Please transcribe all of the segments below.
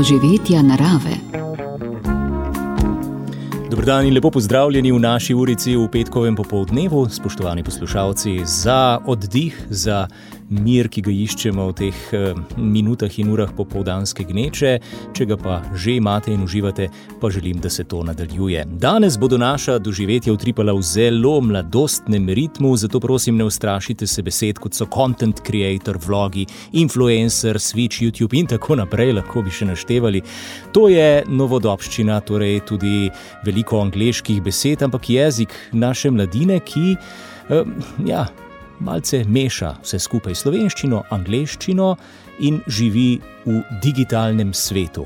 doživetja narave. Dober dan in lepo pozdravljeni v naši urici v petkovem popoldnevu, spoštovani poslušalci, za oddih, za mir, ki ga iščemo v teh minutah in urah popoldanske gneče. Če ga pa že imate in uživate, pa želim, da se to nadaljuje. Danes bodo naša doživetja utripala v zelo mladostnem ritmu, zato prosim, ne ustrašite se besed, kot so content creator, vlogi, influencer, Switch, YouTube in tako naprej, lahko bi še naštevali. To je novodobščina, torej tudi veliko angleških besed, ampak jezik naše mladine, ki malce meša vse skupaj slovenščino, angleščino in živi v digitalnem svetu.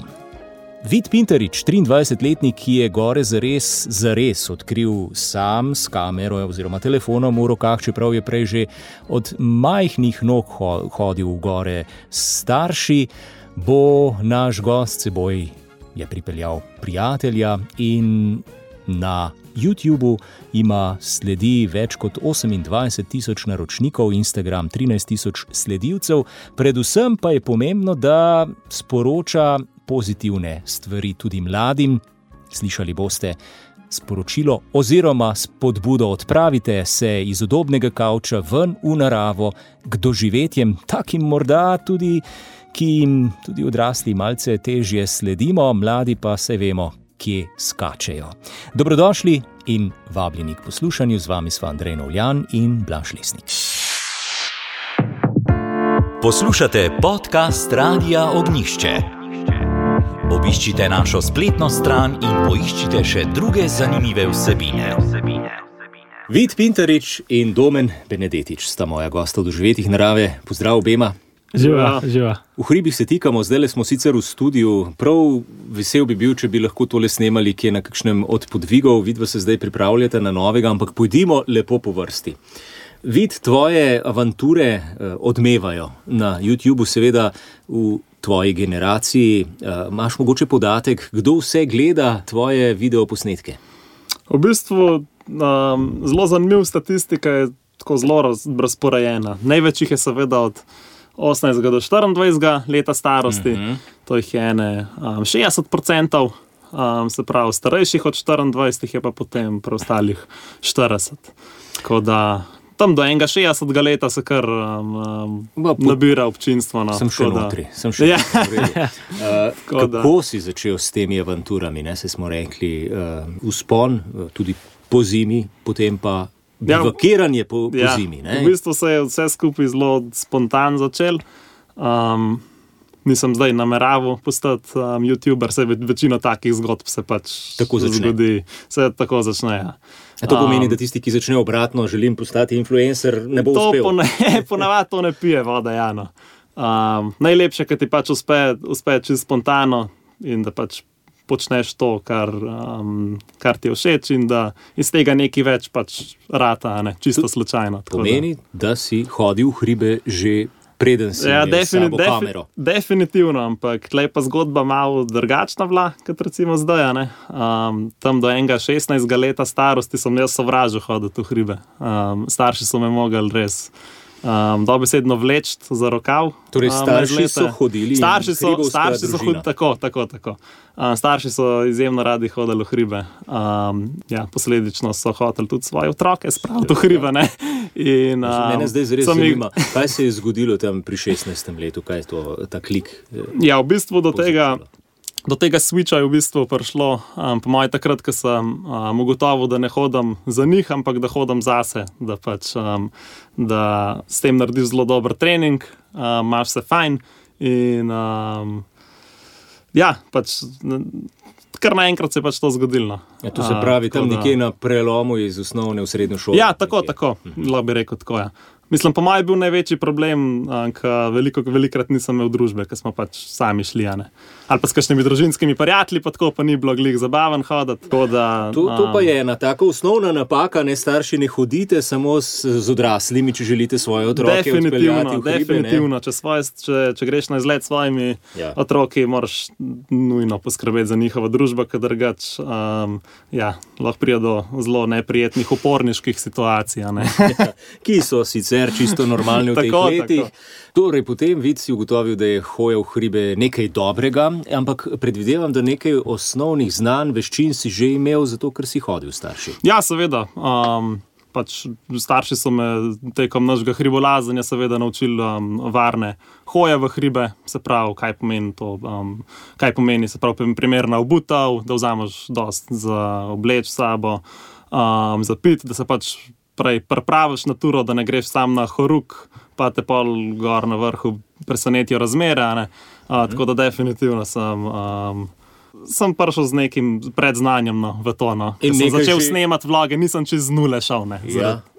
Vid Pintarič, 23-letnik, ki je gore zares odkril sam s kamero oziroma telefonom v rokah, čeprav je prej že od majhnih nog hodil v gore s starši, bo naš gost seboj je pripeljal prijatelja in na YouTubu ima sledi več kot 28,000 naročnikov, Instagram 13,000 sledilcev. Predvsem pa je pomembno, da sporoča pozitivne stvari tudi mladim. Slišali boste sporočilo oziroma spodbudo: odpravite se iz udobnega kavča ven v naravo k doživetjem, takim morda tudi, ki jim tudi odrasli malce težje sledimo, mladi pa se vemo, kje skačejo. Dobrodošli in vabljeni k poslušanju. Z vami sva Andrej Novljan in Blaž Lesnik. Poslušate podcast Radia Ognjišče. Obiščite našo spletno stran in poiščite še druge zanimive vsebine. Vid Pintarič in Domen Benedetič sta moja gosta v doživetjih narave. Pozdrav obema. Živa. V hribih se tikamo, zdajle smo sicer v studiu. Prav vesel bi bil, če bi lahko tole snemali kje na kakšnem od podvigov. Vidva se zdaj pripravljate na novega, ampak pojdimo lepo po vrsti. Vid, tvoje avanture odmevajo na YouTubu, seveda v tvoji generaciji. Imaš mogoče podatek, kdo vse gleda tvoje videoposnetke? V bistvu zelo zanimiv statistika je tako zelo razporejena. Največ jih je seveda od 18 do 24 leta starosti, to jih je 60%, se pravi starejših od 24 je pa potem preostalih 40. Tako da tam do 61 leta se kar nabira občinstvo. Sem še notri. Kako si začel s temi avanturami? Se smo rekli vzpon, tudi po zimi, potem pa bivakiranje po zimi. V bistvu se je vse skupaj zelo spontan začel. Nisem zdaj nameraval postati YouTuber, večino takih zgodb se pač zgodi. Se tako začne, ja. A to pomeni, da tisti, ki začne obratno, želim postati influencer, ne bo uspel? Ponavadi to ne pije voda, Jano. Najlepše, kad ti pač uspe čisto spontano in da pač počneš to, kar ti je všeč in da iz tega nekaj več pač rata, čisto slučajno. Pomeni, da si hodil v hribe že preden si imel s sabo kamero. Definitivno, ampak tlej pa zgodba malo drugačna bila, kot recimo zdaj. Tam do 16 leta starosti sem jaz sovražil hoditi v hribe. Starši so me mogli res dobesedno vleči za rokav. Torej starši so hodili starši so hodili, tako. Starši so izjemno radi hodili v hribe. Posledično so hoteli tudi svoje otroke spraviti v hribe. Mene zdaj zares zanima, kaj se je zgodilo tam pri 16. letu, kaj je to, ta klik? Ja, v bistvu do tega switcha je v bistvu prišlo, po moje takrat, ko sem ugotovil, da ne hodim za njih, ampak da hodim zase, da s tem narediš zelo dober trening, imaš se fajn in kar naenkrat se je pač to zgodilo. Ja, to se pravi tam nekje na prelomu iz osnovne v srednjo šolo. Ja, tako, lahko bi rekel tako, ja. Mislim, po mojem je bil največji problem, ker velikokrat nisem imel družbe, ker smo pač sami šli, ali pa s kakšnimi družinskimi prijatelji, pa tako pa ni bilo glih zabaven hoditi. To pa je ena taka osnovna napaka, starši ne hodite samo z odraslimi, če želite svoje otroke odpeljati v hribe. Definitivno, če greš na izlet s svojimi otroki, moraš nujno poskrbeti za njihovo družbo, ker drugače lahko pride do zelo neprijetnih uporniških situacij. Ki so sicer sicer čisto normalne v teh letih. Torej, potem vid si ugotovil, da je hoja v hribe nekaj dobrega, ampak predvidevam, da nekaj osnovnih znanj, veščin si že imel, zato ker si hodil starši. Ja, seveda. Pač starši so me tekom našega hribolazanja seveda naučili varne hoje v hribe, se pravi, kaj pomeni to, kaj pomeni, se pravi, primerna obutev, da vzameš dost za obleč sabo, za pit, da se pač prej pripraviš na turo, da ne greš sam na horuk, pa te pol gor na vrhu presenetijo razmere, ne? Tako da definitivno sem prišel z nekim predznanjem v to. In sem začel snemati vloge, nisem čez nule šel.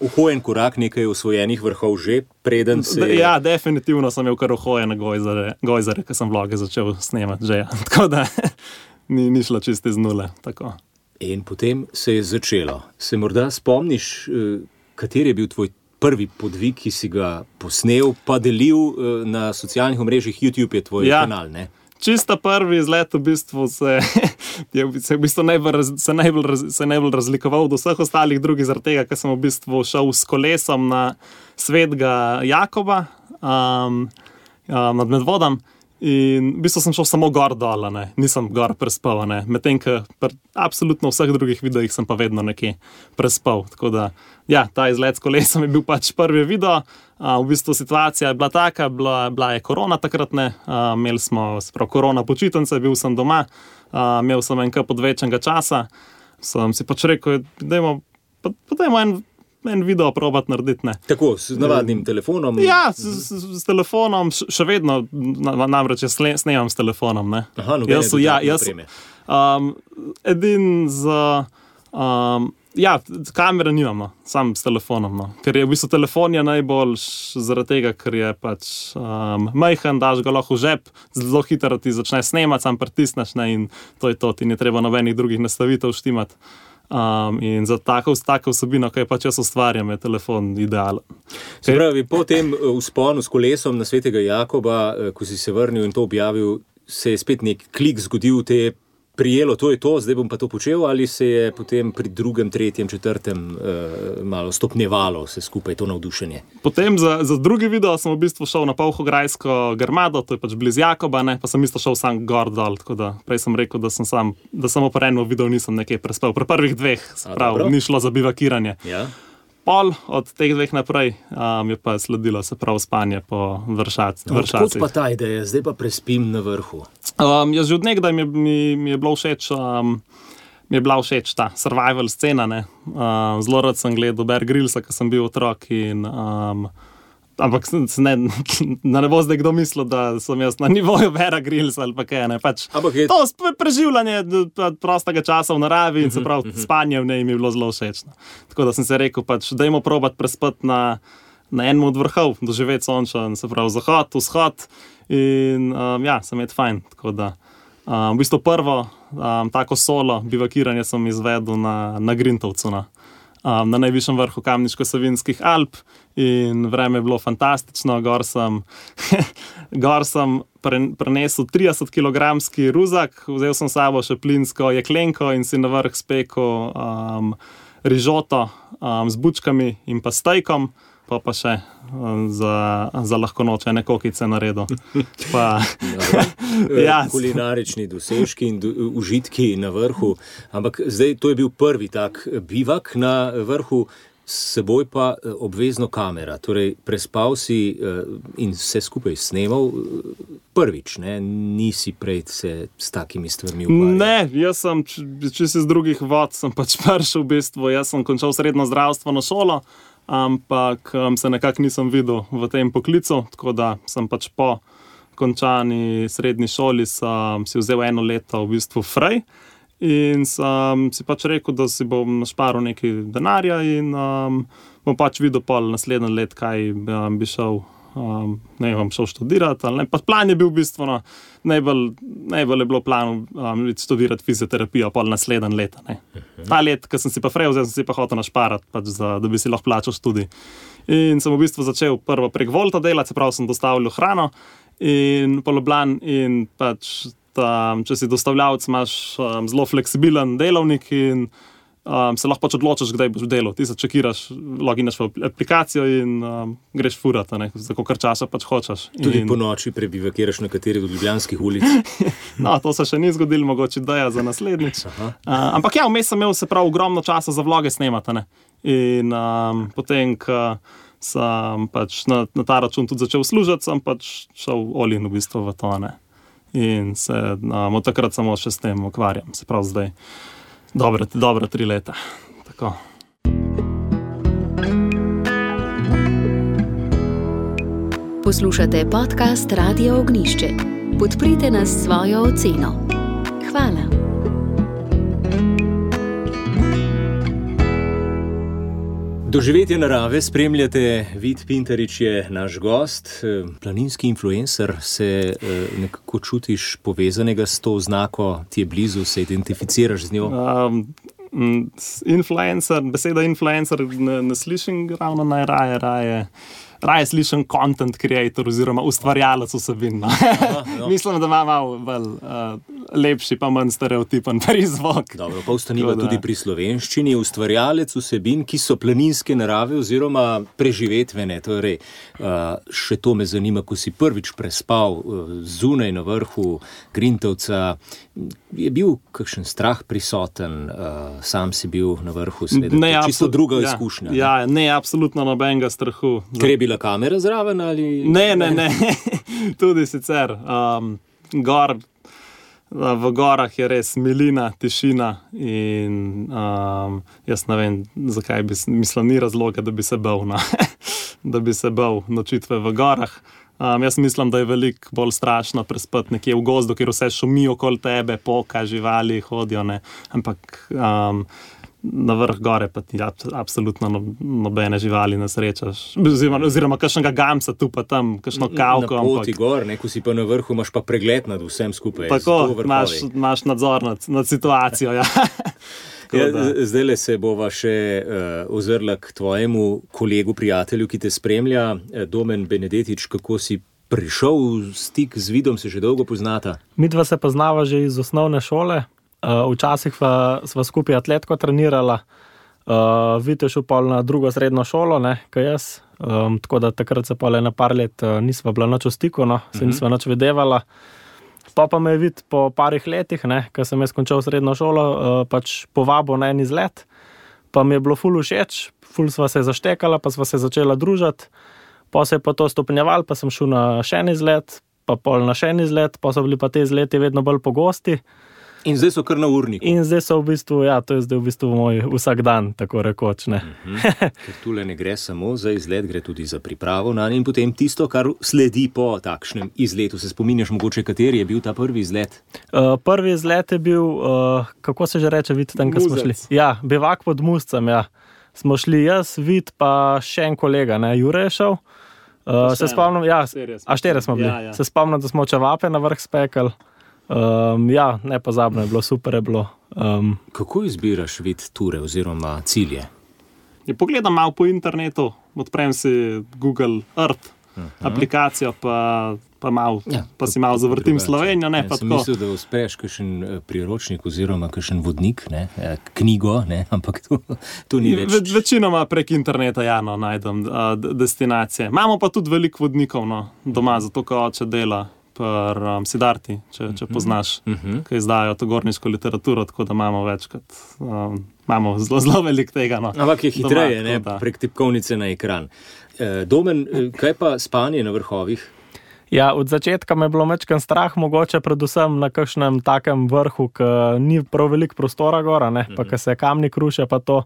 Uhojen korak, nekaj osvojenih vrhov že, preden se... Ja, definitivno sem imel kar uhojene gojzare, ko sem vloge začel snemati že. Tako da ni šlo čisto iz nule. Tako. In potem se je začelo. Se morda spomniš, kateri je bil tvoj prvi podvig, ki si ga posnel, pa delil na socialnih omrežjih? YouTube je tvoj kanal, ne? Čista prvi izlet v bistvu se najbolj razlikoval od vseh ostalih drugih zaradi tega, ker sem v bistvu šel s kolesom na Svetega Jakoba nad Medvodom in v bistvu sem šel samo gor dol, nisem gor prespal, medtem ko absolutno vseh drugih videojih sem pa vedno nekje prespal, tako da ja, ta izlet s kolesom je bil pač prvi video. V bistvu situacija je bila taka, bila je korona takrat, imeli smo korona počitnice, bil sem doma, imel sem en kup odvečnega časa, sem si pač rekel, dajmo en video probati narediti, Tako, s navadnim telefonom? Ja, s telefonom, še vedno, namreč jaz snemam s telefonom, Aha, nobene dodatne opreme. Edin ja, kamere nimamo, sam s telefonom, ker je v bistvu telefon je najboljš zaradi tega, ker je pač majhen, daš ga lahko v žep, zelo hitro ti začne snemati, sam pritisneš, in to je to, ti ni treba nobenih drugih nastavitev štimati. In za tako vsebino, kaj pač jaz ustvarjam, je telefon idealen. Se pravi, po tem vzponu s kolesom na Svetega Jakoba, ko si se vrnil in to objavil, se je spet nek klik zgodil, te je prijelo, to je to, zdaj bom pa to počel, ali se je potem pri drugem, tretjem, četrtem malo stopnjevalo vse skupaj to navdušenje? Potem za drugi video sem v bistvu šel na Polhograjsko grmado, to je pač blizu Jakoba, pa sem isto šel sam gor dol, tako da prej sem rekel, da samo po enem videu nisem nekaj prespal. Pri prvih dveh, se pravi, ni šlo za bivakiranje. Ja. Pol od teh dveh naprej je pa sledilo, se pravi, spanje po vršacih. Odkud pa ta ideja, zdaj pa prespim na vrhu? Jaz že od nekdaj mi je bila všeč ta survival scena, zelo rad sem gledal Bear Grylsa, ko sem bil otrok in ampak ne bo zdaj kdo mislil, da sem jaz na nivoju Beara Grylsa ali pa kaj, pač to preživljanje prostega časa v naravi in se pravi spanje v njej mi je bilo zelo všečno. Tako da sem se rekel, pač dajmo probati prespati na enem od vrhov, doživeti sončen, se pravi zahod, vzhod in ja, sem imel fajn, tako da v bistvu prvo tako solo bivakiranje sem izvedel na Grintovcu, na najvišjem vrhu Kamniško-Savinjskih Alp in vreme je bilo fantastično, gor sem prenesel 30-kilogramski ruzak, vzel sem sabo še plinsko jeklenko in si na vrh spekel rižoto z bučkami in pa stejkom, pa še za lahko noč ene kokice naredil. Kulinarični dosežki in užitki na vrhu, ampak zdaj to je bil prvi tak bivak na vrhu, s seboj pa obvezno kamera, torej prespal si in vse skupaj snemal prvič, nisi prej se s takimi stvarmi ukvarjal? Ne, jaz sem, če si z drugih vod, sem pač prišel v bistvu, jaz sem končal srednjo zdravstveno šolo, ampak se nekako nisem videl v tem poklicu, tako da sem pač po končani srednji šoli si vzel 1 leto v bistvu frej in sem si pač rekel, da si bom našparil nekaj denarja in bom pač videl pol naslednje let, kaj bi šel, šel študirati ali ne. Pa plan je bil v bistvu, najbolj je bilo plan študirati fizioterapijo pol naslednje leta. Ta let, ko sem si pa frej vzel, sem si pa hotel našparati, pač da bi si lahko plačal študij. In sem v bistvu začel prvo prek Volta delati, se pravi, sem dostavljal hrano in po Ljubljani in pač če si dostavljavec, imaš zelo fleksibilen delovnik in se lahko pač odločiš, kdaj boš delal. Ti se čekiraš, loginaš v aplikacijo in greš furati, za kolikor časa pač hočeš. Tudi po noči prebivakiraš na kateri od ljubljanskih ulic? No, to se še ni zgodilo, mogoče ideja za naslednjič. Ampak ja, vmes sem imel se prav ogromno časa za vloge snemati, ne. In potem, ko sem pač na ta račun tudi začel služiti, sem pač šel all in v bistvu v to, ne. In se od takrat samo še s tem ukvarjam. Se pravi zdaj dobra 3 leta. Tako. Poslušate podcast Radia Ognjišče. Podprite nas s svojo oceno. Hvala. Doživetje narave spremljate, Vid Pintarič je naš gost, planinski influencer, se nekako čutiš povezanega s to oznako, ti je blizu, se identificiraš z njo? Influencer, beseda influencer ne slišim ravno najraje. Raje slišim content creator oziroma ustvarjalec vsebin. Mislim, da ima malo bolj lepši pa manj stereotipen prizvok. Dobro, pa ostaniva tudi pri slovenščini. Ustvarjalec vsebin, ki so planinske narave oziroma preživetvene. Torej, še to me zanima, ko si prvič prespal zunaj na vrhu Grintovca. Je bil kakšen strah prisoten? Sam si bil na vrhu, seveda. Čisto druga izkušnja. Ja, ne, absolutno nobenega strahu. Ker je bila kamera zraven ali? Ne. Tudi sicer. V gorah je res milina, tišina in jaz ne vem, zakaj ni razloga, da bi se bal, da bi se bal nočitve v gorah. Jaz mislim, da je veliko bolj strašno prespati nekje v gozdu, kjer vse šumi okoli tebe, poka, živali hodijo, ne. Ampak na vrh gore pa ti absolutno nobene živali ne srečaš. Oziroma kakšnega gamsa tu pa tam, kakšno kavko. Na poti gor, ko si pa na vrhu, imaš pa pregled nad vsem skupaj. Tako, imaš nadzor nad situacijo, ja. Zdajle se bova še ozrla k tvojemu kolegu, prijatelju, ki te spremlja, Domen Benedetič. Kako si prišel v stik z Vidom, se že dolgo poznata? Midva se poznava že iz osnovne šole. Včasih sva skupaj atletko trenirala. Vid je šel pol na drugo srednjo šolo, kot jaz. Tako da takrat se pol ena par let nisva bila nič v stiku, se nisva nič videvala. Pa me je Vid po parih letih, ko sem jaz končal srednjo šolo, pač povabil na en izlet. Pa mi je bilo ful všeč, ful sva se zaštekala, pa sva se začela družiti. Pa se je pa to stopnjevalo, pa sem šel na še en izlet, pa pol na še en izlet, pa so bili pa te izleti vedno bolj pogosti. In zdaj so kar na urniku. In zdaj so v bistvu, ja, to je zdaj v bistvu moj vsak dan, tako rekoč, ne. Ker tule ne gre samo za izlet, gre tudi za pripravo na in potem tisto, kar sledi po takšnem izletu. Se spominjaš mogoče, kateri je bil ta prvi izlet? Prvi izlet je bil, kako se že reče, Vid, tam, ko smo šli? Ja, bivak pod Muscem, ja. Smo šli jaz, Vid, pa še en kolega, Jure je šel. Se spomnim, ja, štirje smo bili. Ja. Se spomnim, da smo čevape na vrh spekali. Ja, nepozabno je bilo, super je bilo. Kako izbiraš, Vid, ture oziroma cilje? Pogledam malo po internetu, odprem si Google Earth aplikacijo, pa malo, pa si malo zavrtim Slovenijo, pa tako. Sem mislil, da uspeš kakšen priročnik oziroma kakšen vodnik, knjigo, ampak to ni več. Večinoma prek interneta, najdem destinacije. Imamo pa tudi veliko vodnikov, doma, zato ko oče dela pri Sidarti, če poznaš, ki izdajo to gorniško literaturo, tako da imamo večkrat, imamo zelo veliko tega. Ampak je hitreje, prek tipkovnice na ekran. Domen, kaj pa spanje na vrhovih? Ja, od začetka me je bilo mečken strah, mogoče predvsem na kakšnem takem vrhu, ki ni prav veliko prostora gora, pa ki se kamni kruše, pa to.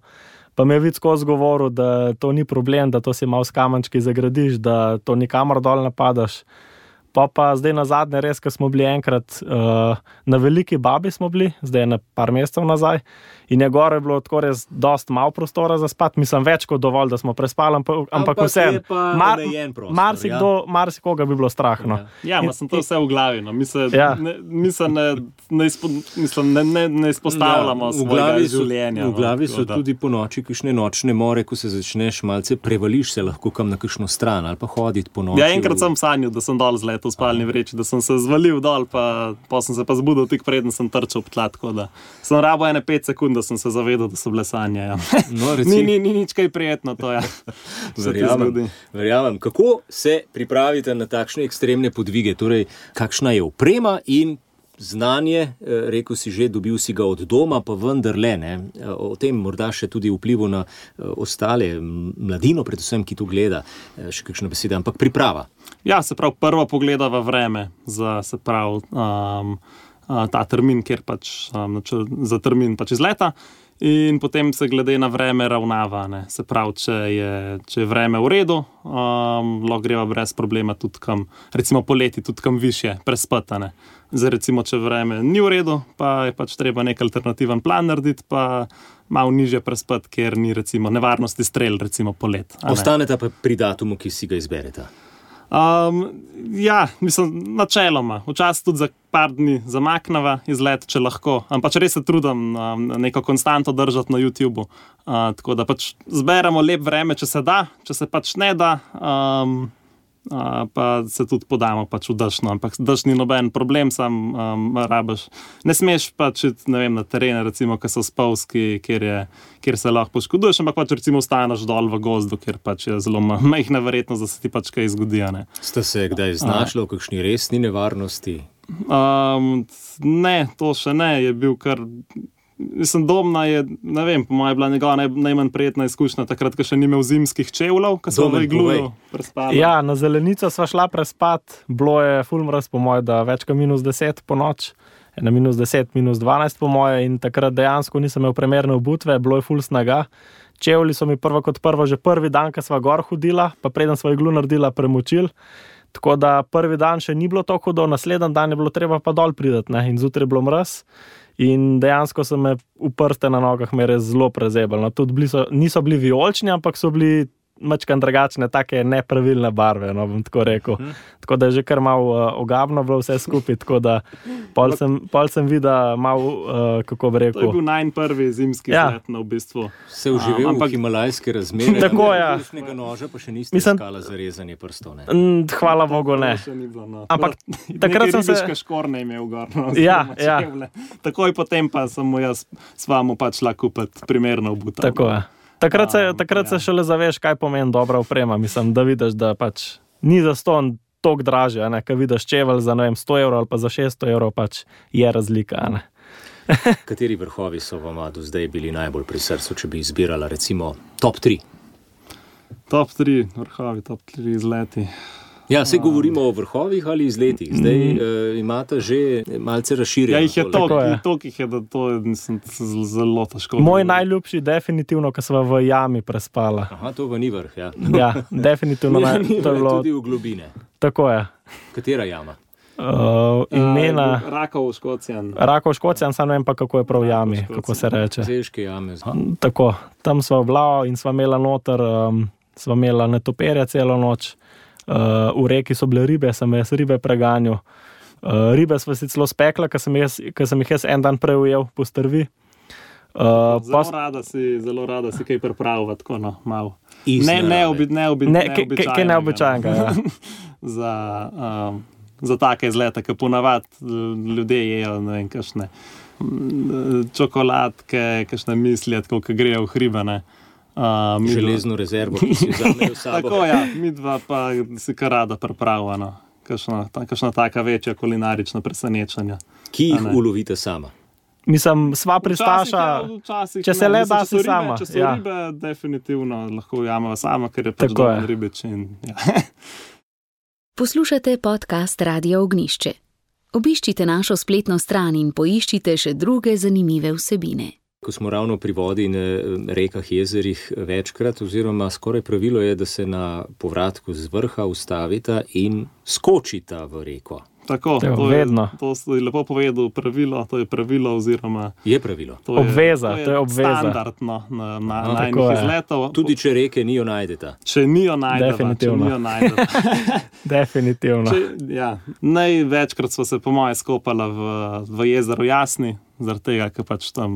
Pa me je Vid skozi govoril, da to ni problem, da to si malo s kamenčki zagradiš, da to nikamor dol ne padaš. Pa zdaj na zadnje res, ko smo bili enkrat na Veliki Babi smo bili, zdaj na par mesecev nazaj, in je gore bilo tako res dost malo prostora za spat, mislim več kot dovolj, da smo prespali, ampak vsem. Marsikoga bi bilo strah. Ja, sem to vse v glavi, ne izpostavljamo svojega življenja. V glavi so tudi po noči kakšne nočne more, ko se začneš malce prevališ se lahko kam na kakšno stran ali pa hoditi po noči. Ja, enkrat sem sanjal, da sem dol zletel toalet v spalni vreči, da sem se zvalil dol, pa sem se pa zbudil tik preden sem trčal v tla, tako da sem rabo 5 sekund, da sem se zavedal, da so bile sanje. Ja. No, ni nič kaj prijetno to, ja. Verjamem. Kako se pripravite na takšne ekstremne podvige? Torej, kakšna je oprema in znanje, rekel si že, dobil si ga od doma, pa vendarle, ne? O tem morda še tudi vplivu na ostale mladino, predvsem, ki tu gleda, še kakšna beseda, ampak priprava. Ja, se pravi, prvo pogleda v vreme za, se pravi, ta termin, kjer pač, za termin pač izleta. In potem se glede na vreme ravnava, ne. Se pravi, če je vreme v redu, lahko greva brez problema tudi kam, recimo poleti tudi kam višje prespati, ne. Zdaj recimo, če vreme ni v redu, pa je pač treba nek alternativen plan narediti, pa malo nižje prespati, ker ni recimo nevarnosti strel, recimo polet. Ostaneta pa pri datumu, ki si ga izbereta. Ja, mislim, načeloma. Včasih tudi za par dni zamakneva izlet, če lahko. Ampak res se trudim neko konstanto držati na YouTubeu. Tako da pač zberemo lep vreme, če se da, če se pač ne da, pa se tudi podamo pač v dešno. Ampak deš ni noben problem, sam rabiš. Ne smeš pač ne vem, na terene, recimo, ki so spolzki, kjer se lahko poškoduješ, ampak pač recimo ostaneš dol v gozdu, kjer pač je zelo majhna verjetnost, da se ti pač kaj zgodi. Ste se kdaj znašli v kakšni resni nevarnosti? Ne, to še ne. Je bil kar... Mislim, Domna je, ne vem, po mojem, bila njegova najmanj prijetna izkušnja, takrat, ko še ni imel zimskih čevljev, ko smo v igluju prespali. Ja, na Zelenico sva šla prespat, bilo je ful mraz, po mojem, da več kot -10 po noč, na -10, -12 po moje, in takrat dejansko nisem imel primerne obutve, bilo je ful snaga. Čevlji so mi prvo kot prvo že prvi dan, ko sva gor hodila, pa preden sva iglu naredila, premočil. Tako da prvi dan še ni bilo tako hudo, naslednji dan je bilo treba pa dol pridati, ne, in zjutraj je bilo mraz. In dejansko so me v prste na nogah me res zelo prezebali. No, tudi niso bili vijolični, ampak so bili mačkan drugačne, take nepravilne barve, no, bom tako rekel. Tako da je že kar malo ogabno bilo vse skupaj, tako da pol sem videl malo, kako bi rekel. To je bil najprvi zimski izlet, v bistvu. Se uživel v himalajske razmere, tako, ja. Ručnega noža pa še niste iskala za rezanje prstov, ne? Hvala Bogu, ne. Ampak takrat sem se... Ribiške škorne imel gor, no. Ja. Takoj potem pa sem mu jaz s vama pač šla kupiti primerno obutev. Tako je. Takrat se šele zaveš, kaj pomeni dobra oprema. Mislim, da vidiš, da pač ni zastonj toliko dražje, ne, ko vidiš čevelj za, ne vem, 100 evrov ali pa za 600 evrov, pač je razlika, ne. Kateri vrhovi so vama do zdaj bili najbolj pri srcu, če bi izbirala recimo top 3? Top 3 vrhovi, top 3 izleti. Ja, se govorimo o vrhovih ali izletih. Zdaj imate že malce razširjeno. Ja, jih je toliko, jih je, da to je zelo težko. Moj najljubši definitivno, ko sva v jami prespala. Aha, to pa ni vrh, ja. Ja, definitivno. To je bilo... Tudi v globine. Tako je. Katera jama? Imena... Rakov Škocjan. Rakov Škocjan, sam ne vem pa, kako je prav v jami, kako se reče. Zeške jame. Tako, tam sva vlao in sva imela noter, sva imela netoperja celo noč. V reki so bile ribe, sem jaz ribe preganjal. Ribe sva si celo spekla, ker sem jih jaz en dan prej ujel po strvi. Zelo rada si kaj pripravila, tako no, malo. Kaj neobičajnega, ja. Za take izlete, ki ponavadi ljudje jejo, ne vem, kakšne čokoladke, kakšne mislije, tako, ki grejo v hribe, ne. Železno rezervo, ki si vzamejo s sabo. Tako, ja, midva pa si kar rada pripravila, no. Kakšna taka večja kulinarična presenečenja. Ki jih ulovite sama? Mislim, sva pristaša, če se le da si sama. Če so ribe, definitivno lahko ujameva sama, ker je pač dober ribič. Poslušate podcast Radia Ognjišče. Obiščite našo spletno stran in poiščite še druge zanimive vsebine. Ko smo ravno pri vodi in rekah, jezerih večkrat, oziroma skoraj pravilo je, da se na povratku z vrha ustavita in skočita v reko. Tako, to je lepo povedal pravilo, to je pravilo oziroma... Je pravilo. Obveza, to je obveza. Standardno na najnih izletov. Tudi če reke nijo najdeta. Če nijo najdeta. Definitivno. Ja, največkrat smo se po moje skopala v jezeru Jasni, zaradi tega, ker pač tam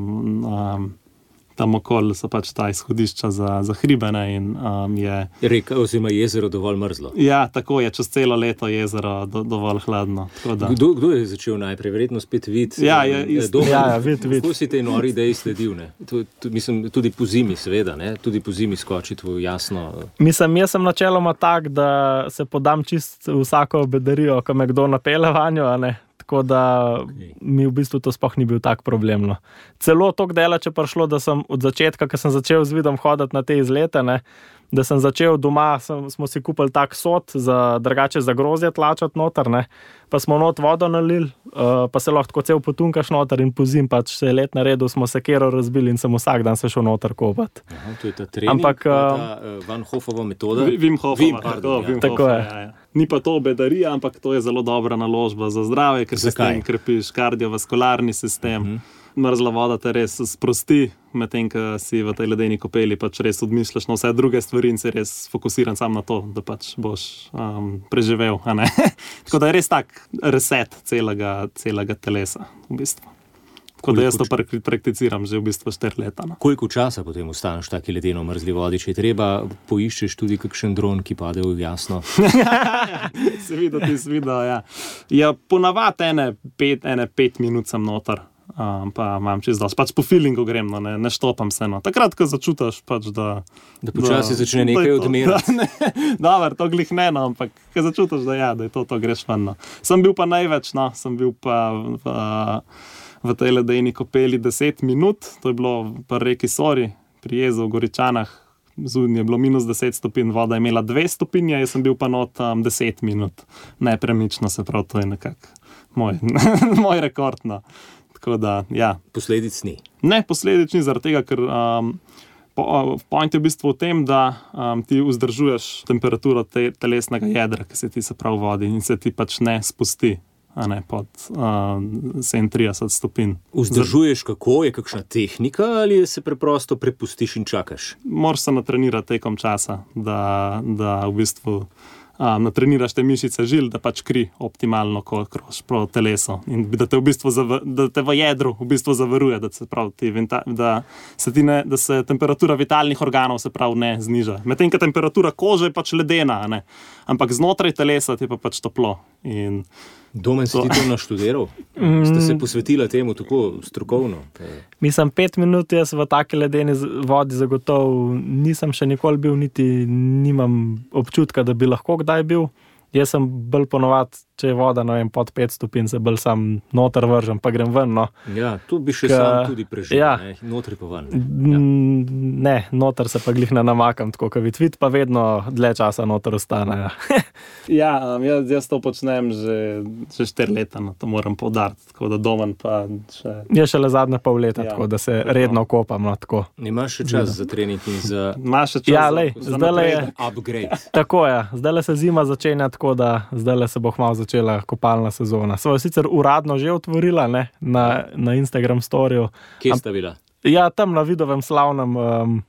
tam okoli so pač ta izhodišča za hribe, ne, in je... Reka oziroma jezero dovolj mrzlo. Ja, tako je, čez celo leto jezero dovolj hladno. Kdo je začel najprej? Verjetno spet Vid. Ja, Vid. Kako si tej nori ideji sledil, ne? Mislim, tudi po zimi, seveda, ne? Tudi po zimi skočiti v jasno... Mislim, jaz sem načeloma tak, da se podam čist vsako bedarijo, ko me kdo napele vanjo, a ne? Tako da mi v bistvu to sploh ni bil tak problem. No. Celo toliko daleč je prišlo, da sem od začetka, ko sem začel z Vidom hoditi na te izlete, ne, da sem začel doma, smo si kupili tak sod, drugače za grozje tlačati noter, ne, pa smo not vodo nalili, pa se lahko cel potunkaš noter in pozim, pač se je let naredil, smo se kero razbili in sem vsak dan se šel noter kopati. Aha, to je ta trening, ta Van Hofova metoda? Wim Hofova, tako je. Ja. Ni pa to bedarija, ampak to je zelo dobra naložba za zdravje, ker se s tem krepiš kardiovaskularni sistem. Mrzla voda te res sprosti, medtem ko si v tej ledeni kopeli pač res odmišljaš na vse druge stvari in si res fokusiran sam na to, da pač boš preživel. A ne? Tako da je res tak reset celega telesa v bistvu. Tako da jaz to prakticiram že v bistvu 4 leta. No. Koliko časa potem ostaneš v taki ledeno mrzli vodi? Če je treba, poiščeš tudi kakšen dron, ki pade v jasno? Seveda, ja. Ja, ponavadi ene 5 minut sem noter. Pa imam čez dosti. Pač po feelingu grem, no, ne štopam se. No. Takrat, ko začutiš, pač, da počasi začne nekaj odmerati. Dobar, to glih ne, no, ampak ko začutiš, da je to greš ven. No. Sem bil pa največ, no, sem bil pa v tej ledeni kopeli 10 minut, to je bilo pa reki Sori, pri jezu v Goričanah, zunaj je bilo -10 stopinj, voda je imela 2 stopinje, jaz sem bil pa not 10 minut. Nepremično, se pravi, to je nekako moj rekord. No. Tako da, ja. Posledic ni? Ne, posledic ni, zaradi tega, ker point je v bistvu v tem, da ti vzdržuješ temperaturo telesnega jedra, ki se ti se prav vodi in se ti pač ne spusti. A ne, pod 37 stopinj. Vzdržuješ kako? Je kakšna tehnika ali se preprosto prepustiš in čakaš? Moraš se natrenirati tekom časa, da v bistvu natreniraš te mišice žil, da pač kri optimalno kroži po telesu in da te v bistvu da te v jedru v bistvu zavaruje, da se pravi da se temperatura vitalnih organov se pravi ne zniža. Medtem ko temperatura kože je pač ledena, ne? Ampak znotraj telesa ti pa pač toplo. In Domen, si ti to naštudiral? Ste se posvetila temu tako strokovno? Mislim, 5 minut jaz v taki ledeni vodi zagotovo nisem še nikoli bil, niti nimam občutka, da bi lahko kdaj bil. Jaz sem bolj ponovadi, če je voda, ne vem, pod 5 stopinj, se bolj sam noter vržem, pa grem ven, no. Ja, tu bi še sam tudi preživel, ja. Ne, notri pa ven. Ja. Ne, noter se pa glih ne namakam, tako kot vid, pa vedno dlje časa noter ostane, ja. Ja, jaz to počnem že 4 leta, no, to moram poudariti, tako da Domen pa še... Je šele zadnje pol leta, ja, tako da se redno kopam, no, tako. Imaš še čas za trening in za... Imaš še čas ja, za napredek. Upgrade. Tako je, zdaj se zima začenja, tako da zdaj se bo kmalu začela kopalna sezona. Sva sicer uradno že otvorila, ne, na Instagram storiju. Kje sta bila? Ja, tam na Vidovem slavnem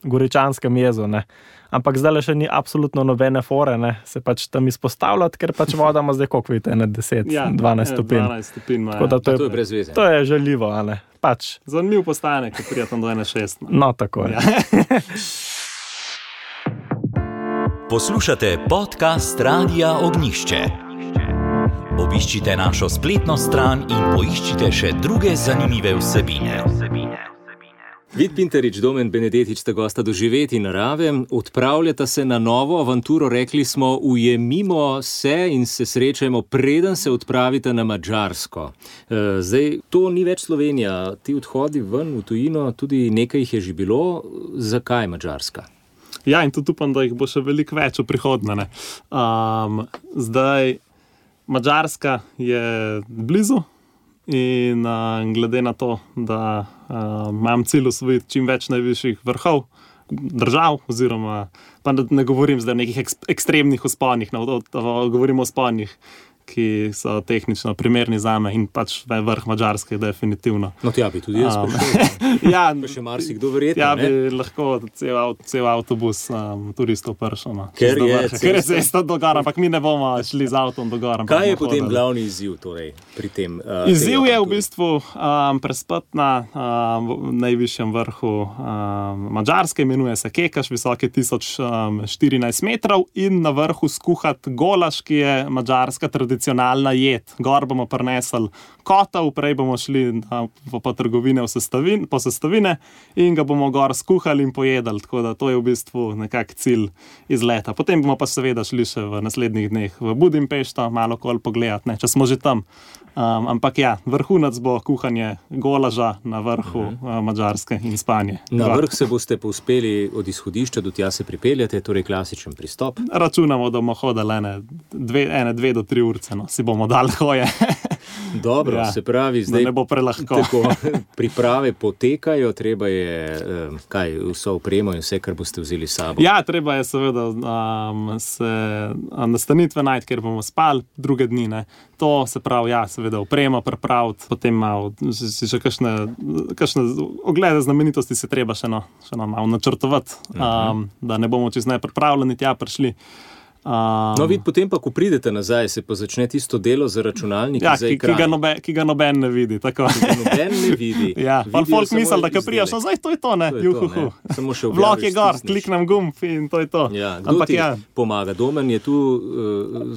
Goričanskem jezu, ne. Ampak zdaj še ni absolutno nobene fore, ne, se pač tam izpostavljati, ker pač voda ima zdaj koliko vidite, 10-12 stopinj. 12 stopinj, tako da to je brez veze. To je žaljivo, a ne, pač. Zanimiv postane, ko prijetam do 1,6. No, tako je. Ja. Poslušate podcast Radia Ognišče. Obiščite našo spletno stran in poiščite še druge zanimive vsebine. Vid Pintarič, Domen Benedetič sta gosta Doživeti narave, odpravljata se na novo avanturo, rekli smo, ujemimo se in se srečajmo, preden se odpravite na Madžarsko. Zdaj, to ni več Slovenija, ti odhodi ven v tujino, tudi nekaj jih je že bilo. Zakaj Madžarska? Ja, in tudi upam, da jih bo še veliko več v prihodnje. Zdaj, Madžarska je blizu in glede na to, da imam cilj osvojiti čim več najvišjih vrhov držav, oziroma pa ne govorim zdaj o nekih ekstremnih vzponih, govorimo o vzponih, ki so tehnično primerni zame in pač vrh Madžarske definitivno. No, tja bi tudi jaz prišel. Ja, pa še marsikdo verjetno, ja, ne? bi lahko cel avtobus turistov prišel. No. Ker je cesta do gora, ampak mi ne bomo šli z avtom do gora. Kaj je potem glavni izziv torej, pri tem? Izziv je v bistvu prespati na najvišjem vrhu Madžarske, imenuje se Kekaš, visoke 1014 metrov in na vrhu skuhati golaš, ki je madžarska tradicionalna jed. Gor bomo prinesli kotov, prej bomo šli po trgovine po sestavine in ga bomo gor skuhali in pojedali, tako da to je v bistvu nekak cilj izleta. Potem bomo pa seveda šli še v naslednjih dneh v Budimpešto, malo kol pogledati, ne, če smo že tam. Ampak ja, vrhunac bo kuhanje golaža na vrhu Madžarske in spanje. Na vrh se boste povzpeli od izhodišča, do tja se pripeljate, torej klasičen pristop. Računamo, da bomo hodili ene 2 do 3 urce, no, si bomo dali hoje. Dobro, ja, se pravi, zdaj ne bo prelahko. Tako, priprave potekajo, treba je vso opremo in vse, kar boste vzeli s sabo. Ja, treba je seveda se nastanitve najti, kjer bomo spali druge dni, ne. To se pravi, ja, seveda opremo pripraviti, potem malo si še kakšne oglede znamenitosti se treba še malo načrtovati, da ne bomo čez nepripravljeni tja prišli. No, vid, potem pa, ko pridete nazaj, se pa začne tisto delo za računalnik za ekran. Ki ga noben ne vidi, tako. Noben ne vidi. Ja, pa folk misli, da ko prijaš, zdaj to je to, ne, juhuhu. Vlog je gor, kliknem gumb in to je to. Ja, kdo ti pomaga? Domen, je tu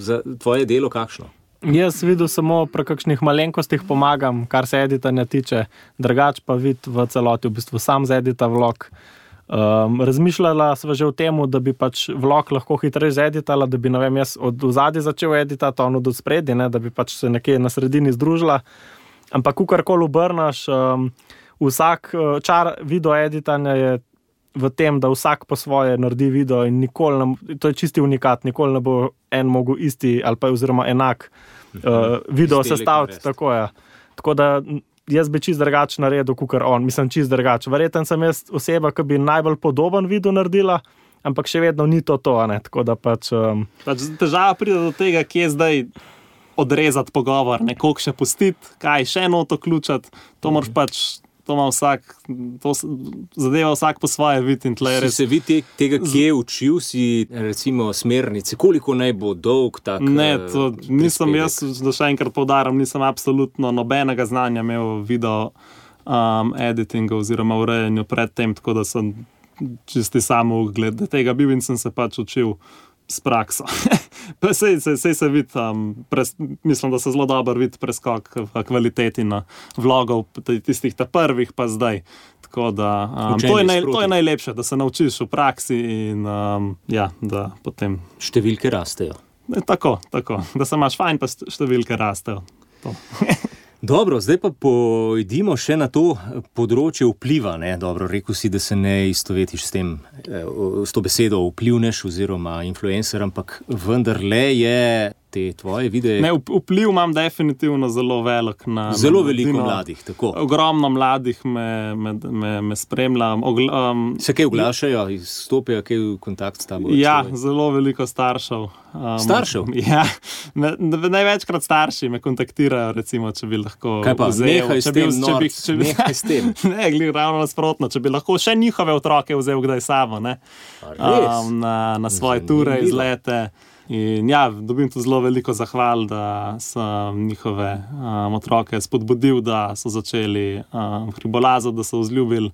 za tvoje delo kakšno? Jaz videl samo pri kakšnih malenkostih pomagam, kar se editanja tiče, drugač pa vid v celoti, v bistvu sam zedita vlog. Razmišljala sva že o tem, da bi pač vlog lahko hitreje zeditala, da bi, ne vem, jaz od vzadja začel editati, on od spredi, ne, da bi pač se nekje na sredini združila. Ampak kakorkoli obrnaš, vsak čar video editanja je v tem, da vsak po svoje naredi video in to je čisti unikat, nikoli ne bo en mogel isti ali pa oziroma enak video sestaviti. Tako da jaz bi čist drugače naredil, kakor on. Mislim, čist drugače. Verjetno sem jaz oseba, ki bi najbolj podoben video naredila, ampak še vedno ni to, ne. Tako da pač težava pride do tega, kje zdaj odrezati pogovor, koliko še pustiti, kaj še noto ključati, to moraš pač, to ima vsak, to zadeva vsak po svoje vid in tle res. Si se vid tega, kje učil si, recimo, smernice, koliko naj bo dolg tak Ne, to nisem jaz, da še enkrat poudarim, nisem absolutno nobenega znanja imel video editinga oziroma urejanju pred tem, tako da sem čisti samo glede tega bil in sem se pač učil s prakso. Sej se vidi, mislim, da se zelo dobro vidi preskok v kvaliteti na vlogov, tistih prvih pa zdaj. Tako da to je najlepše, da se naučiš v praksi in ja, da potem številke rastejo. Tako, da se imaš fajn, pa številke rastejo. To. Dobro, zdaj pa pojdimo še na to področje vpliva, ne? Dobro, rekel si, da se ne istovetiš s to besedo vplivnež oziroma influencer, ampak vendarle je te tvoje videe. Ne, vpliv imam definitivno zelo velik na zelo veliko mladih, tako. Ogromno mladih me spremlja. Se kaj oglašajo, stopijo kaj v kontakt s tabo? Ja, zelo veliko staršev. Staršev? Ja, največkrat starši me kontaktirajo, recimo, če bi lahko kaj pa, vzel. Nehaj s tem. Ne, ravno nasprotno, če bi lahko še njihove otroke vzel kdaj sabo, ne? Na svoje ture, izlete. In ja, dobim tu zelo veliko zahval, da sem njihove otroke spodbudil, da so začeli hribolazati, da so vzljubili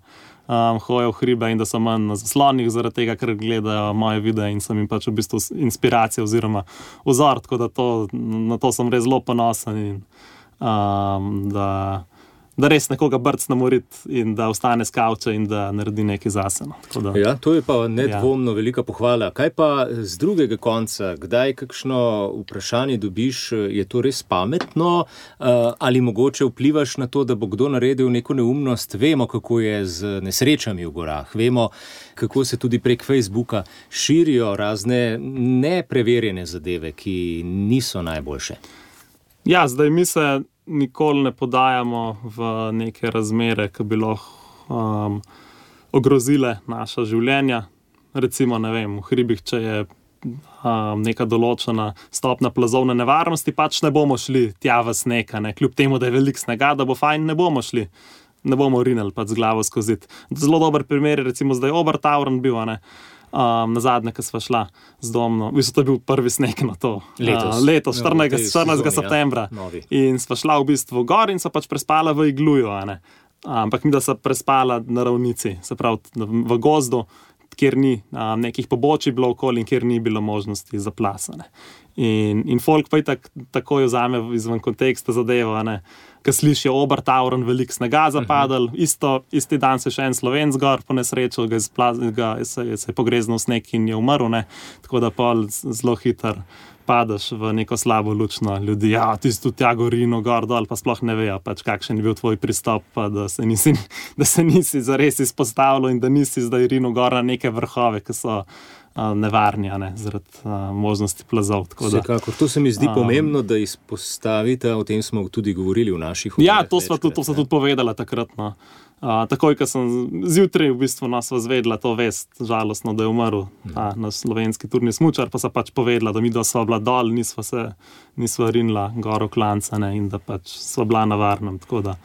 hojo v hribe in da so manj na zaslonih zaradi tega, ker gledajo moje videe in sem jim pač v bistvu inspiracija oziroma vzor, tako da na to sem res zelo ponosen in da res nekoga brcne morit in da ostane s kavča in da naredi nekaj zase. Ja, to je pa nedvomno velika pohvala. Kaj pa z drugega konca? Kdaj kakšno vprašanje dobiš, je to res pametno ali mogoče vplivaš na to, da bo kdo naredil neko neumnost? Vemo, kako je z nesrečami v gorah. Vemo, kako se tudi prek Facebooka širijo razne nepreverjene zadeve, ki niso najboljše. Ja, zdaj mi se nikoli ne podajamo v neke razmere, ki bi lahko ogrozile naša življenja. Recimo, ne vem, v hribih, če je neka določena stopna plazovne nevarnosti, pač ne bomo šli tja v sneg, kljub temu, da je veliko snega, da bo fajn, ne bomo šli. Ne bomo rinili pač z glavo skozi. Zelo dober primer je recimo zdaj Obertauern bil, na zadnje, ko sva šla z domno. V bistvu to je bil prvi sneg na to. Letos 14. septembra. In sva šla v bistvu gor in sva pač prespala v igluju, ampak mi da sva prespala na ravnici, se pravi v gozdu, kjer ni nekih pobočij bilo okoli in kjer ni bilo možnosti za plasane. In folk pa je takoj vzame izven konteksta zadevo, ko slišijo Obertauern, veliko snega zapadal, isti dan se še en Slovenc gor po nesreču, se je pogreznil sneg in je umrl, tako da pol zelo hiter padeš v neko slabo lučno ljudi. Ja, ti si tu tja gorino, gor, dol, pa sploh ne vejo, pač kakšen je bil tvoj pristop, pa da se nisi zares izpostavljal in da nisi zdaj rino gor na neke vrhove, ki so nevarni, zaradi možnosti plazov. Vsekakor, to se mi zdi pomembno, da izpostavite, o tem smo tudi govorili v naših oddaljah. Ja, to sva tudi povedala takrat. Takoj, ko sem zjutraj v bistvu sva zvedla to vest, žalostno, da je umrl naš slovenski turni smučar, pa sva pač povedala, da mi dva sva bila dol, nisva rinila gor v klanca, in da pač sva bila na varnem, tako da.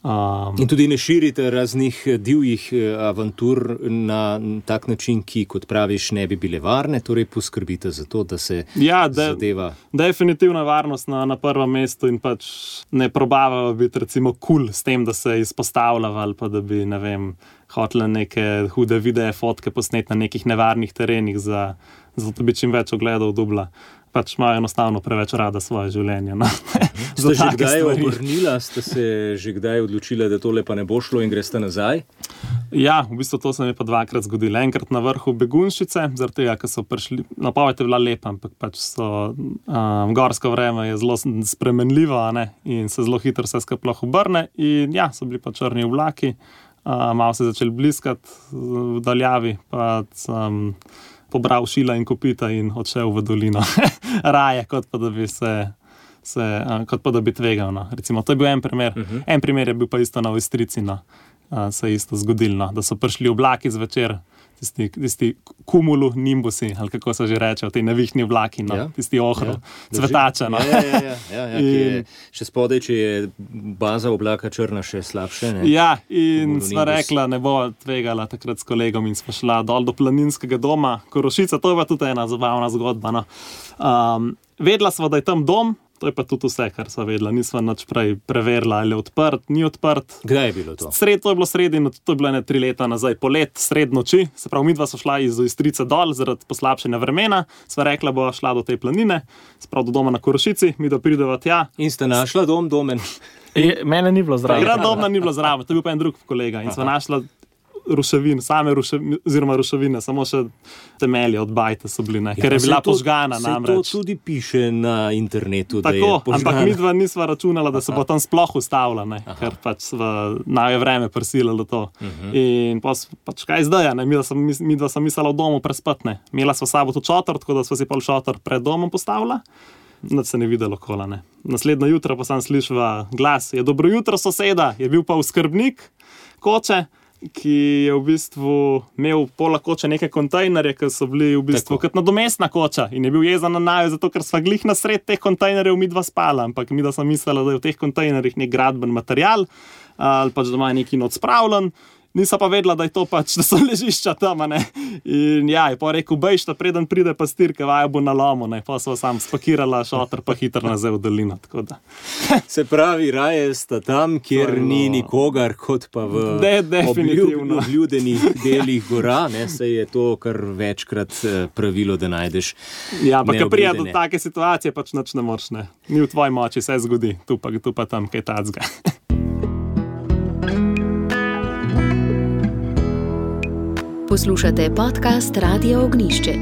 In tudi ne širite raznih divjih avantur na tak način, ki, kot praviš, ne bi bile varne, torej poskrbite za to, da se zadeva. Definitivna varnost na prvem mestu in pač ne probavajo biti recimo cool s tem, da se izpostavljava ali pa da bi, ne vem, hotele neke hude videe, fotke posneti na nekih nevarnih terenih, zato bi čim več ogledov dubla. Pač imajo enostavno preveč rada svoje življenje. Ste že kdaj obrnila, ste se že kdaj odločila, da tole pa ne bo šlo in greste nazaj? Ja, v bistvu to se mi pa dvakrat zgodilo. Enkrat na vrhu Begunjšice, zaradi tega, ker so prišli, napoved je bila lepa, ampak pač gorsko vreme je zelo spremenljivo, in se zelo hitro vse skupaj obrne in ja, so bili pa črni oblaki, malo se začeli bliskati v daljavi, pa sem pobral šila in kopita in odšel v dolino. Raje, kot pa da bi kot pa da bi tvegal. Recimo, to je bil en primer. En primer je bil pa isto na Ojstrici, se je isto zgodilo, da so prišli oblaki zvečer, tisti kumulu nimbusi, ali kako se že reče, ti nevihni oblaki, tisti ohro, cvetače. Še spodaj, če je baza oblaka črna, še slabše. Ja, in sva rekla, ne bo tvegala takrat s kolegom in sva šla dol do planinskega doma Korošica, to je pa tudi ena zabavna zgodba. Vedela sva, da je tam dom, to je pa tudi vse, kar sva vedela. Nisva nič prej preverila, ali je odprt, ni odprt. Kdaj je bilo to? To je bilo sredi, to je bilo 3 leta nazaj, polet, sred noči. Se pravi, midva so šla iz Ojstrice dol zaradi poslabšanja vremena. Sva rekla, bo šla do te planine, se pravi do doma na Korošici, midva prideva tja. In ste našla domen? Mene ni bilo zraven. Takrat domna ni bilo zraven, to je bil pa en drug kolega. In sva našla ruševine, ruševine, samo še temelje od bajte so bili, ker je bila požgana namreč. To tudi piše na internetu, da je požgana. Ampak midva nisva računala, da se bo tam sploh ustavila, ker pač je vreme prisililo to. In pač kaj zdaj, midva sem mislila v domu prespati, imela sva sabo tu šotor, tako da sva si pol šotor pred domom postavila. Nič se ne videlo kola, Naslednjo jutro pa sem slišala glas, je dobro jutro soseda, je bil pa oskrbnik koče, ki je v bistvu imel pola koče neke kontejnerje, ki so bili v bistvu kot nadomestna koča in je bil jezen na naju, zato ker sva glih na sred teh kontejnerjev midva spala, ampak midva sem mislila, da je v teh kontejnerjih nek gradben material ali pač da ima neki not spravljen. Nisem pa vedela, da je to pač, da so ležišča tam, In ja, je pa rekel, bejš, da preden pride pastir, ki vajo bo na lomu, Pa sva sam spakirala šotor, pa hitro nazaj v dolino, tako da. Se pravi, raje sta tam, kjer ni nikogar, kot pa v obljudenih delih gora, Se je to kar večkrat pravilo, da najdeš neobljudene. Ja, ampak, ko prija do take situacije, pač nič ne moreš, Ni v tvoji moči, se zgodi, tu pa tam kaj tacga. Poslušate podcast Radia Ognišče.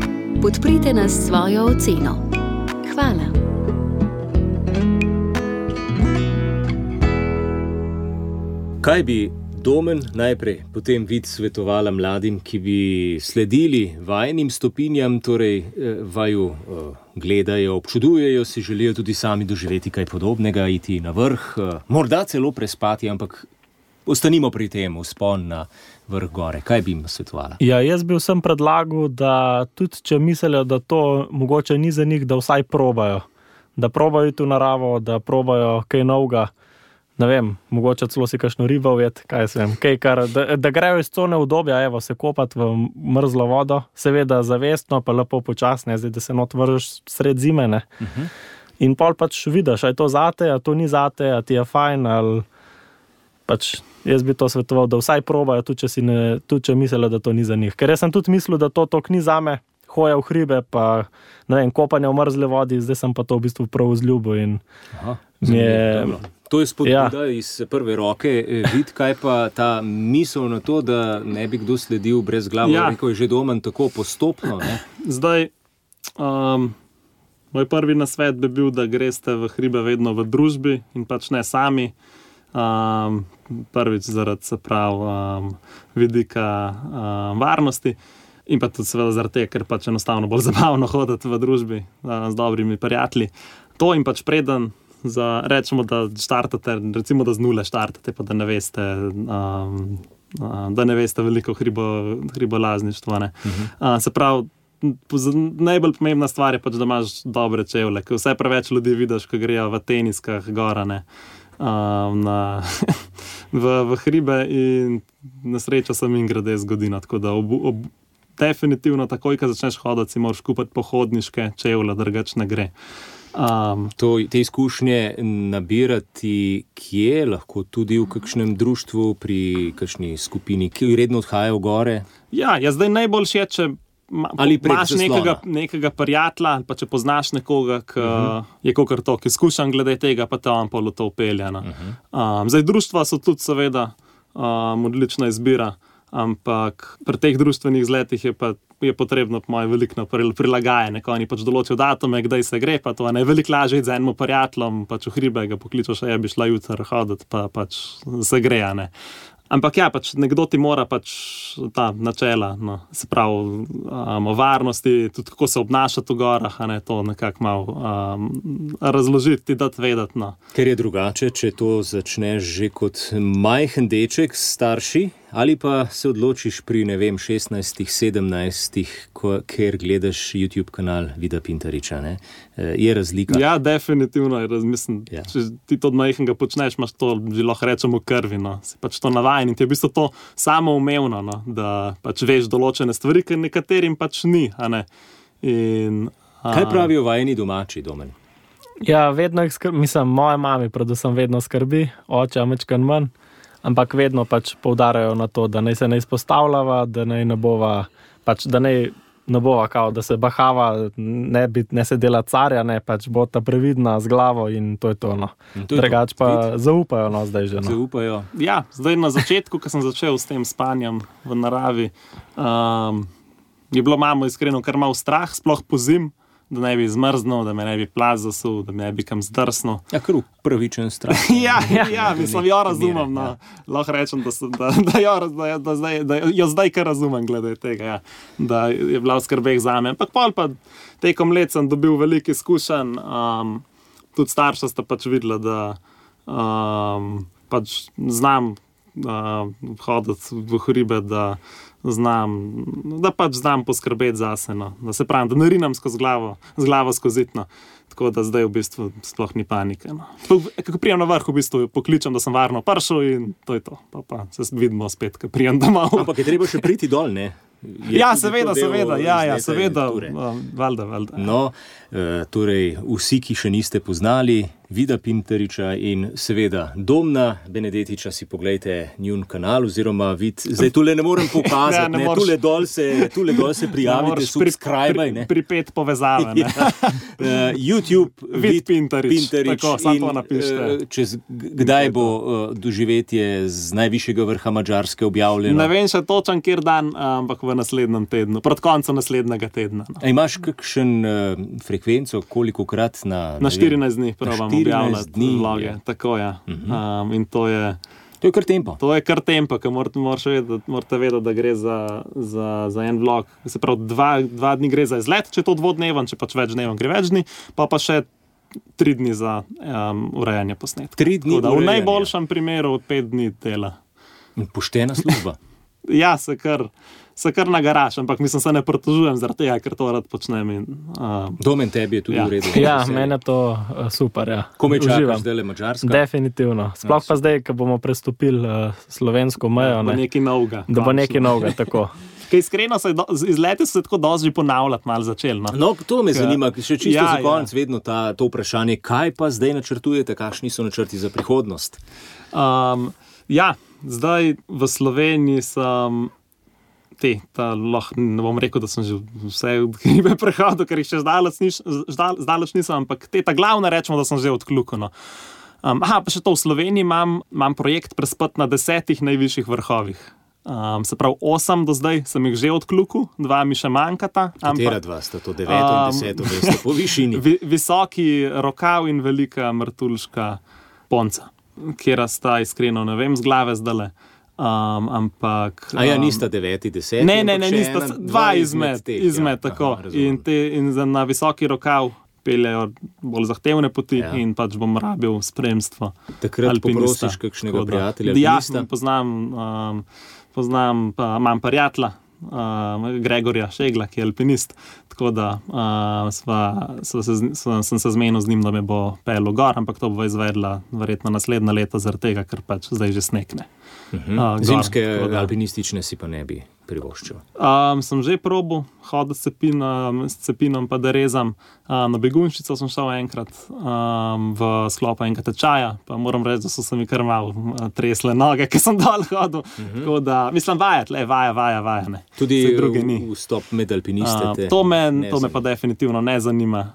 Podprite nas s svojo oceno. Hvala. Kaj bi Domen najprej potem vid svetovala mladim, ki bi sledili vajinim stopinjam, torej vaju gledajo, občudujejo, si želijo tudi sami doživeti kaj podobnega, iti na vrh, morda celo prespati, ampak Ostanimo pri tem, vzpon na vrh gore. Kaj bi jim svetovala? Ja, jaz bi vsem predlagal, da tudi če mislijo, da to mogoče ni za njih, da vsaj probajo. Da probajo iti v naravo, da probajo kaj novega. Ne vem, mogoče celo si kakšno ribo ujeti, kaj se vem. Da grejo iz cone udobja, evo, se kopati v mrzlo vodo, seveda zavestno, pa lepo počasne, zdaj, da se not vržeš sred zime, ne. In pol pač vidiš, a je to zate, a to ni zate, a ti je fajn, ali pač jaz bi to svetoval, da vsaj probajo, tudi če mislijo, da to ni za njih. Ker jaz sem tudi mislil, da to ni zame, hoja v hribe, pa ne vem, kopanje v mrzle vodi, zdaj sem pa to v bistvu prav vzljubil in To je spodbuda iz prve roke. Vid, kaj pa ta misel na to, da ne bi kdo sledil brez glave, rekel je že Domen, tako postopno, ne? Zdaj, moj prvi nasvet bi bil, da greste v hribe vedno v družbi in pač ne sami. Prvič zaradi, se pravi, vidika varnosti in pa tudi seveda zaradi tega, ker pač enostavno bolj zabavno hoditi v družbi z dobrimi prijatelji. To in pač preden rečemo, da štartate, recimo, da z nule štartate, pa da ne veste veliko hribolazništva, ne. Se pravi, najbolj pomembna stvar je pač, da imaš dobre čevlje, ker vse preveč ljudi vidiš, ko grejo v teniskah gora, ne, v hribe in na srečo se mi grede zgodi, tako da definitivno takoj, ko začneš hoditi, si moraš kupiti pohodniške čevlje, drugače ne gre. Te izkušnje nabirati kje? Lahko tudi v kakšnem društvu, pri kakšni skupini, ki redno odhajajo v gore? Ja, zdaj najboljše je, če imaš nekega prijatelja, pa če poznaš nekoga, ki je kakor to, ki izkušan glede tega, pa te on pol v to upelja. Zdaj, društva so tudi seveda odlična izbira, ampak pri teh društvenih izletih je potrebno po moje veliko prilagajanje, ko oni pač določijo datume, kdaj se gre, pa to je veliko lažje iti z enim prijateljem, pač v hribe ga pokličeš, bi šla jutri hoditi, pa pač se gre, ne. Ampak ja, pač nekdo ti mora pač ta načela, no, se pravi, o varnosti, tudi kako se obnašati v gorah, a ne, to nekako malo razložiti, ti dati vedeti, no. Ker je drugače, če to začneš že kot majhen deček s starši, ali pa se odločiš pri, ne vem, 16, 17, ker gledaš YouTube kanal Vida Pintariča, ne? Je razlika? Ja, definitivno je mislim, če ti to od majhnega počneš, imaš to, že lahko rečemo, krvi, no. Si pač to navajen in ti je v bistvu to samoumevno, no, da pač veš določene stvari, ker nekaterim pač ni, a ne. Kaj pravijo vajeni domači, Domen? Ja, vedno jih mislim, moja mami predvsem vedno skrbi, oče majčkeno manj, ampak vedno pač poudarjajo na to, da naj se ne izpostavljava, da naj ne bova, pač da naj ne bova kao, da se bahava, ne se dela carja, ne, pač bo ta previdna z glavo in to je to, no. Drugač pa zaupajo, no, zdaj že, no. Zaupajo. Ja, zdaj na začetku, ko sem začel s tem spanjem v naravi, je bilo mamo iskreno kar malo strah, sploh po zim, da ne bi zmrznil, da me ne bi plaz zasul, da me ne bi kam zdrsnil. Ja, kar pravičen strah. Ja, mislim, jo razumem, no. Lahko rečem, da jo zdaj kar razumem glede tega, ja. Da je bila v skrbeh zame. Ampak pol pa tekom let sem dobil veliko izkušenj, tudi starša sta pač videla, da pač znam hoditi v hribe, da pač znam poskrbeti zase, no. Da se pravim, da ne rinem z glavo skozi it, no. Tako da zdaj v bistvu sploh ni panike, no. Ko prijem na vrh, v bistvu pokličem, da sem varno prišel in to je to. Pa se vidimo spet, ko prijem domov. Ampak je treba še priti dol, ne? Ja, seveda, valjda. No, torej, vsi, ki še niste poznali Vida Pintariča in seveda Domna Benedetiča, si poglejte njun kanal oziroma Vid, zdaj tule ne morem pokazati, ne, tule dol se prijavite, subscribe-aj, ne. Pripet povezave, ne. YouTube Vid Pintarič, tako, samo to napište. Kdaj bo doživetje z najvišjega vrha Madžarske objavljeno? Ne vem še točen, kjer dan, ampak v naslednjem tednu, pred koncem naslednjega tedna. No. Imaš kakšen frekvenco, kolikokrat na 14 dni probam objavljati vloge, tako je. In to je kar tempo. To je kar tempo, ker morate vedeti, da gre za en vlog. Se pravi, dva dni gre za izlet, če je to dvodneven, če pač več dneven gre več dni, pa še 3 dni za urejanje posnetka. 3 dni urejanja. V najboljšem primeru 5 dni dela. Poštena služba. Ja, se kar nagaraš, ampak mislim, se ne pritožujem zaradi tega, ker to rad počnem. Domen tebi je tudi v redu. Ja, meni je to super. Ja. Komaj čakaš zdaj le Madžarska? Definitivno. Sploh pa zdaj, ko bomo prestopili slovensko mejo. Da bo nekaj novega. Da bo nekaj novega, tako. Kaj iskreno, izleti so se tako dosti ponavljati, malo začeli. No, to me zanima, še čisto za konec vedno to vprašanje, kaj pa zdaj načrtujete, kakšni so načrti za prihodnost? Zdaj v Sloveniji sem ne bom rekel, da sem že vse hribe prehodil, ker jih še zdaleč nisem, ampak ta glavna rečemo, da sem že odkljuken. Pa še to, v Sloveniji imam projekt prespati na 10 najvišjih vrhovih. Se pravi, 8 do zdaj sem jih že odkljukel, 2 mi še manjkata. Katera 2 sta to, 9 in 10, veste, po višini? Visoki Rokav in Velika Martuljška Ponca, kjera sta iskreno, ne vem, z glave zdale. Ampak... nista 9, 10? Ne, nista, 2 izmed, tako. In na Visoki Rokav peljejo bolj zahtevne poti in pač bom rabil spremstvo alpinista. Takrat poprosiš kakšnega prijatelja alpinista? Poznam, imam prijatelja, Gregorja Šegla, ki je alpinist, tako da sem se zmenil z njim, da me bo pelil gor, ampak to bo izvedla verjetno naslednja leta zaradi tega, ker pač zdaj že snekne. Zimske alpinistične si pa ne bi privoščil? Sem že probal hoditi s cepinom pa da rezam. Na Begunjščico sem šel enkrat v sklopu enega tečaja, pa moram reči, da so se mi kar malo tresle noge, ker sem dol hodil. Tako da, mislim, vaja, ne. Tudi vstop med alpiniste? To me pa definitivno ne zanima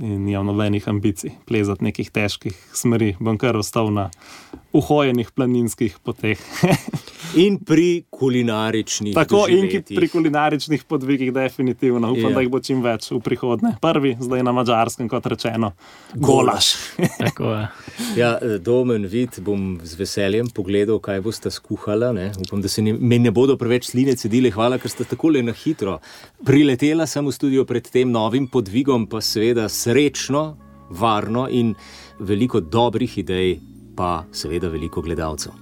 in nimam nobenih ambicij plezati nekih težkih smeri. Bom kar ostal na uhojenih planinskih poteh. In pri kulinaričnih doživetjih. Pri kulinaričnih podvigih definitivno. Upam, da jih bo čim več v prihodnje. Prvi, zdaj na Madžarskem, kot rečeno, golaž. Tako je. Ja, Domen, Vid, bom z veseljem pogledal, kaj boste skuhala. Upam, da se mi ne bodo preveč sline cedile. Hvala, ker ste takole na hitro. Priletela sem v studio pred tem novim podvigom, pa seveda srečno, varno in veliko dobrih idej, pa seveda veliko gledalcev.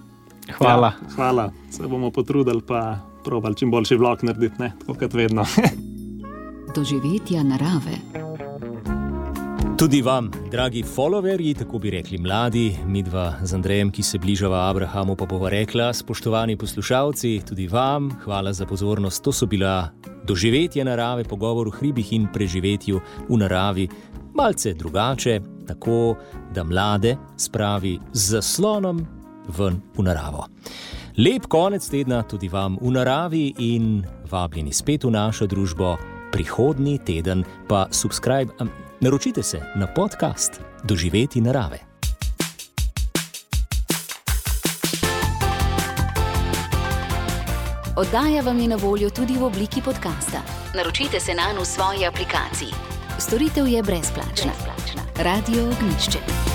Hvala. Ja, hvala. Se bomo potrudili pa probali čim boljši vlog narediti, tako kot vedno. Doživetja narave. Tudi vam, dragi followerji, tako bi rekli mladi, midva z Andrejem, ki se bližava Abrahamu, pa bova rekla, spoštovani poslušalci, tudi vam, hvala za pozornost. To so bila Doživetja narave, pogovor o hribih in preživetju v naravi, malce drugače, tako da mlade spravi z zaslonom ven v naravo. Lep konec tedna tudi vam v naravi in vabljeni spet v našo družbo prihodnji teden, pa naročite se na podcast Doživeti narave. Oddaja vam je na voljo tudi v obliki podcasta. Naročite se nanj v svoji aplikaciji. Storitev je brezplačna. Radio Ognjišče.